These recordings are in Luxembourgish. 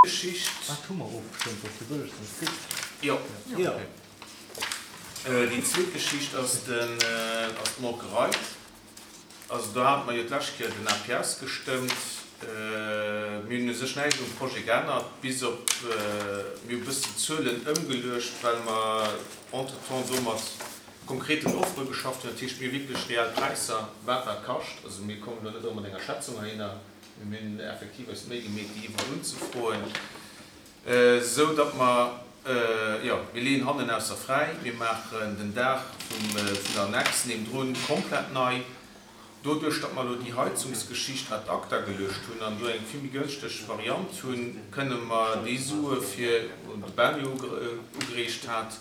Geschicht. Wat hu mer ofgestëmmt, dass de bëllegsten kritt? Jo. Jo. Déi zweet Geschicht ass den, ass d'Molkerei. Also do hate mer jo d'lescht Kéier den APS gestëmmt. Mir hunn u sech näischt um Projet geännert, bis op, mir hu e bëssen d'Zuelen ëmgeluecht, well mer entretemps do mat konkreten Offere geschafft hunn. Dat heescht, mir hu wierklech reell Präisser, wat wat kascht. Also mir kommen elo net erëm mat enger Schätzung heihinner. Mir hunn effektiv eis d'Méi gemeet, déi iwwerall unzefroen, esou datt mer, jo, mir leeën hannen ausser fräi, mir maachen den Daach vum, vun der Annex niewendrun komplett nei. Doduerch, datt mer elo déi Heizungsgeschicht ad acta geluecht hunn an do eng vill méi gënschteg Variant hunn, kënne mer déi Sue fir, wou de Ben jo ugereegt hat,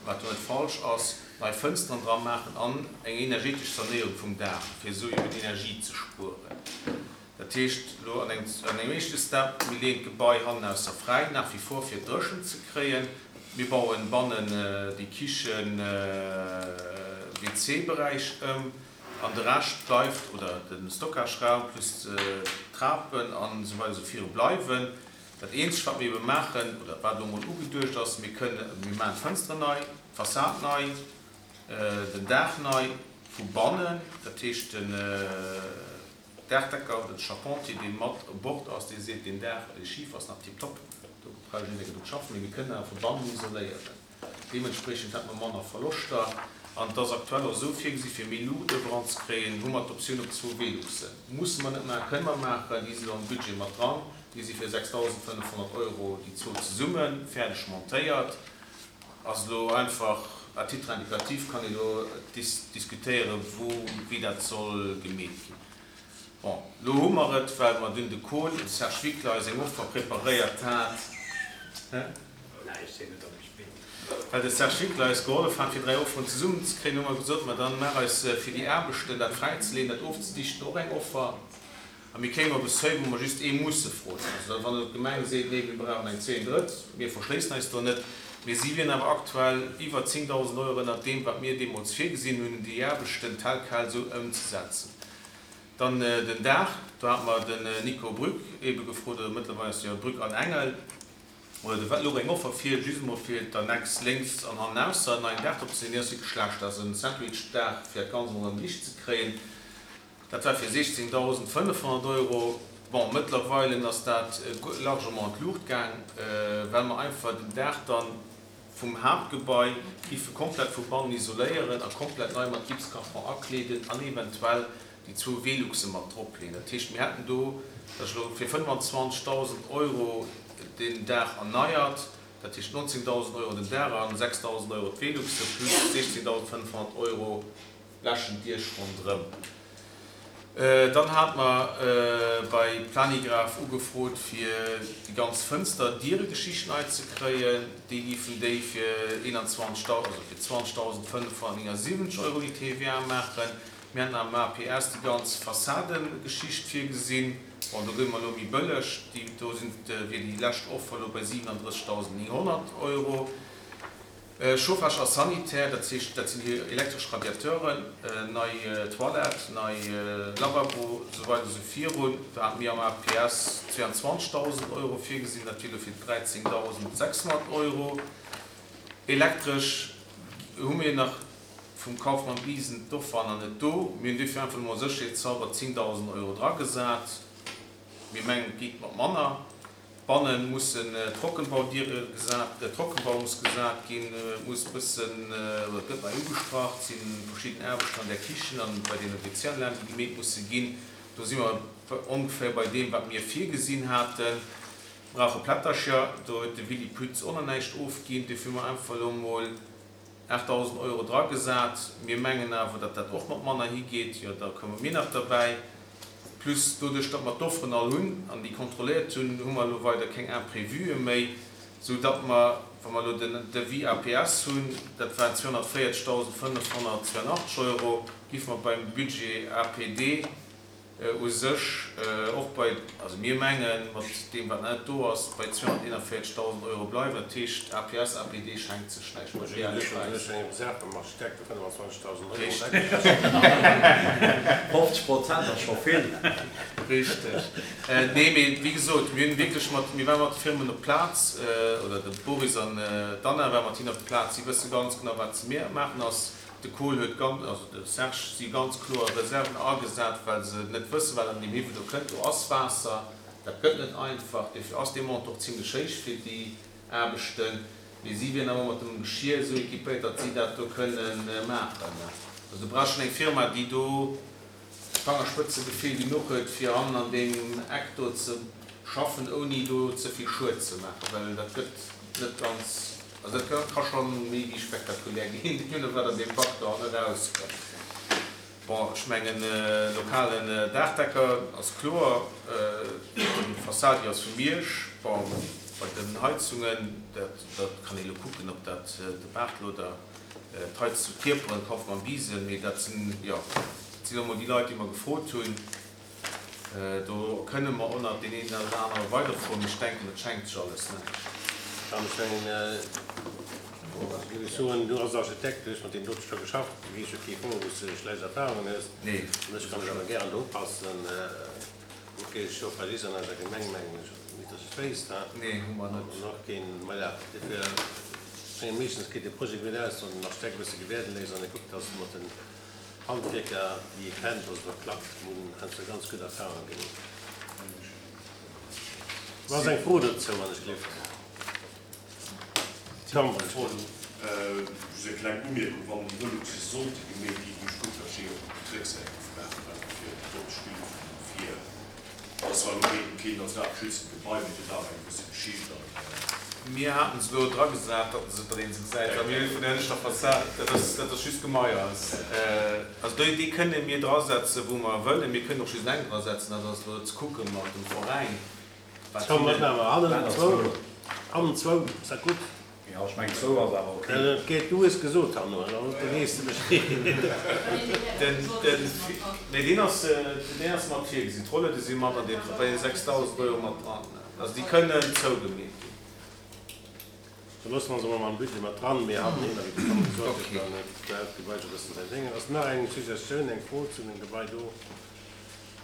wat jo net falsch ass, nei Fënsteren dra maachen an eng energetesch Sanéierung vum Daach, fir esou eben Energie ze spueren. Dat heescht elo an engem éischte Step, mir leeën d'Gebai hannenausser fräi, nach wie vor, fir et dréchen ze kréien. Mir bauen bannen déi Kichen, WC-Beräich ëm an de Rescht bleift, oder de Stockageraum plus d'Trapen an esou weider esou viru bleiwen. Dat eenzegt, wat mir ebe maachen, oder wat elo emol ugeduecht ass, mir kënnen, mir maachen d'Fënsteren nei, d'Fassad nei, den Daach nei vu bannen, dat heescht den Daachdecker oder de Charpentier, dee mat u Bord ass, dee seet, deen Daach, dee Schifer ass nach tiptop, do brauch ech net méi drop schaffen, mee mir kënnen awer vu bannen isoléieren. Deementspriechend hätte mer manner Verloschter. An et ass aktuell och esou virgesi fir méi Luucht eran ze kréien, hu mer d'Optioun op zwou Veluxen. Musse mer net maachen, kënne mer maachen, déi si elo am Budget mat dran. Déi si fir 6.500 Euro déi zwou zesummen, fäerdeg montéiert. Ass elo einfach à titre indicatif, kann ee elo diskutéieren, wou, wéi dat soll gemeet ginn. Bon, lo hu mer et, well mer dunn de Col, de Serge Wickler eis eng Offer preparéiert hat. Well de Serge Wickler eis gehollef hat, fir 3 Offeren zesummen ze kréien, hu mer gesot, ma dann maach eis fir déi Aarbechten, dat fräizeleeën, dat ofzedichten, och eng Offer. A mir kéimen op e Seuil, wou mer just ee musse froen. Also wann elo d'Gemeng seet, nee, mir brauchen eng zweet, drëtt, mir verschléissen eis do net. Mee si wieren awer aktuell iwwer 10.000 Euro ënnert deem, wat mir deemools virgesinn hunn, déi Aarbechten tel quel esou ëmzesetzen. Dann den Daach, do hat mer den Nico Brück eebe gefrot, oder mëttlerweil ass jo Brück an Engel, oder de louch eng Offer vir, just emol fir d'Annex lénks an hannenausser en neien Daach drop ze sinn. Deen ass wierklech schlecht, dat ass en Sandwich-Daach, fir dat Ganzt emol erëm riicht ze kréien. Dat war fir 16.500 Euro. Bon, mëttlerweile ass dat largement an d'Luucht gaang, well mer einfach den Daach dann vum Haaptgebai giffe komplett vu bannen isoléieren a komplett nei mat Gipskarton akleeden an eventuell déi zwou Veluxe mat drop leeën. Dat heescht, mir hätten do, dat ass elo fir 25.000 Euro den Daach erneiert, dat heescht 19.000 Euro den Daach an 6.000 Euro d'Veluxe plus 16.500 Euro Läschen d'Diech ronderëm. Dann hate mer bei Planigraph ugefrot fir déi ganz Fënster-Diere-Geschicht nei ze kréien. Déi giffen déi fir 21, also fir 20.579 Euro déi TVA maachen. Mir haten am APS déi ganz Fassadengeschicht virgesinn. Bon, do gëtt mer elo méi bëlleg. Déi do sinn, wier déi lescht Offer elo bei 37.900 Euro. Chauffage a Sanitär, dat heescht, dat sinn déi elektresch Radiateuren, nei Toilette, nei Lavabo, esou weider esou virun. Do hate mir am APS 22.000 Euro virgesinn, dat wier elo fir 13.600 Euro. Elektresch hu mir nach vum Kaufmann Briesen d'Offer nach net do. Mir hunn duerfir einfach emol sécherheetshalber 10.000 Euro dragesat. Mir mengen, et geet mat manner. Banne mussen Trockenbaudiere gesat, Trockenbau muss gesat ginn, et muss e bëssen, oder et gëtt nei ugestrach, et si verschidden Aarbechten an der Kichen an bei deene WC-Anlagen, déi gemeet musse ginn. Do si mer ongeféier bei deem, wat mir virgesinn haten. Brauche Plättercher, do huet de Willy Pütz och nach näischt ofginn. Duerfir hu mer einfach elo emol 8.000 Euro dragesat. Mir mengen awer, datt dat och mat manner higeet. Jo, da komme mir nach derbäi. Plus doduerch, datt mer d'Offeren all hunn an déi kontrolléiert hunn, hu mer elo weider keng Imprévuë méi, sou datt mer, wa mer elo den Devis APS hunn, dat waren 240.582 Euro, géife mer beim Budget APD. U sech och bei, also mir mengen, mat deem wat nach net do ass, bei 241.000 Euro bleiwen. Dat heescht, APS, APD schenkt sech näischt beim reale Präis. Richteg. 50 Prozent ass scho vill. Richteg. Nee, mee wéi gesot, mir hunn wierklech mat, mir ware mat de Firmen op d'Plaz, oder de Boris an d'Anna ware mat hinnen op d'Plaz. Si wësse ganz genau, wat se maachen ass. De Kohl huet ganz, also de Serge, si ganz kloer Reserven agesat, well se net wëssen, wat an deem Hiwwel do kënnt. Do ass Waasser, dat gëtt net einfach. Dofir ass dee Montant och zimlech héich fir déi Aarbechten. Mee si wieren awer mat dem Geschier esou équipéiert, datt si dat do kënnen maachen. Also do brauch schonn eng Firma, déi do Fangerspëtzegefill genuch huet, fir hannen an deem Eck do ze schaffen, ouni do ze vill Schued ze maachen, well dat gëtt net ganz, also dat ka scho méi wéi spektakulär ginn, deemno wat an deem Bac do hannen erauskënnt. Bon, ech mengen, lokalen Daachdecker ass kloer, d'Fassad déi ass vu Miersch. Bon, bei den Heizungen, dat kann ee elo kucken, ob dat de Bartl oder D'Heiz zu Kierperen kaufe mer am Diesel, mee dat sinn, jo, dat sinn och mol déi Leit, déi mer gefrot hunn. Do kënne mer och nach deen een oder anere weider froen, mee ech denken, dat schenkt sech alles näischt. An ech mengen, géif ech soen, du als Architekt, du hues mat deem dote scho geschafft, du weess jo kee froen, wou s de schlecht Erfahrungen hues. Nee. An ech kann dech awer gären do upassen. Ok, Chauffagist an eiser Gemeng mengen ech net dass ech wéisst, he? Nee, hu mer net. An och keen, maja, dofir mengen meeschtens geet de Projet gutt aus, wann den Architekt e bësse gewäerde léisst an e kuckt, dass mat den Handwierker, déi e kennt, dass et och klappt. Mir hunn heiansdo ganz gutt Erfahrungen gemaach. Ass eng Fro dozou, wann ech gelift? Tom, Just eng kleng Umierkung, Wann déi Veluxe sollte geméit ginn, duerch gutt Versteeë vum Drécksäit maachen, einfach fir d'Opspill vum Fier. Dat ass zwar elo keen keen national geschütztent Gebai, mee et huet awer eng gewësse Geschicht an. Mir haten se elo dragesat, datt se datt een se gesäit, well mir vun der hënneschter Fassad, dat ass dat ass just Gemaiers. Also déi déi kënne mir drasetzen, wou mer wëllen. Mir kënnen och just eng drasetzen, dat ass elo ze kucke mat dem Veräin. Komm, wat maache mer? Hannen zwou, hannen zwou, ass dat gutt? Jo, ech mengen zwou ass awer ok. Et, du hues gesot hanno, da weess de Bescheed. Den, den, nee, deen ass, deen ass mat virgesinn. D'Rollede si mat an deem, bei den 6.000 Euro mat dran. Also déi kënnen zougemeet ginn. Da loosse mer se emol mam Budget mat dran. Mee hannen hinner, wéi de Tom gesot huet, dann huet dat Gebai scho e bëssen säin Déngen. Ass nach eng Suggestioun, eng Fro zu dem Gebai do?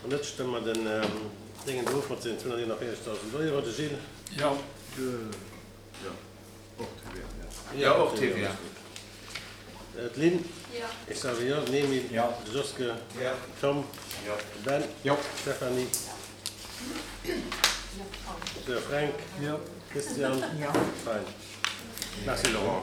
Wann net, stëmme mer den Déngen do of mat sengen 241.000 Euro. De Gilles? Jo. Jo, och TVA, jo. Jo, och TVA. D'Lynn? Jo. Ech soe jo. Den Emile? Jo. De Joske? Jo. Den Tom? Jo. De Ben? Jo. D'Stéphanie? Jo. De Fränk? Jo. Christian? Jo. Fein. Merci Laurent.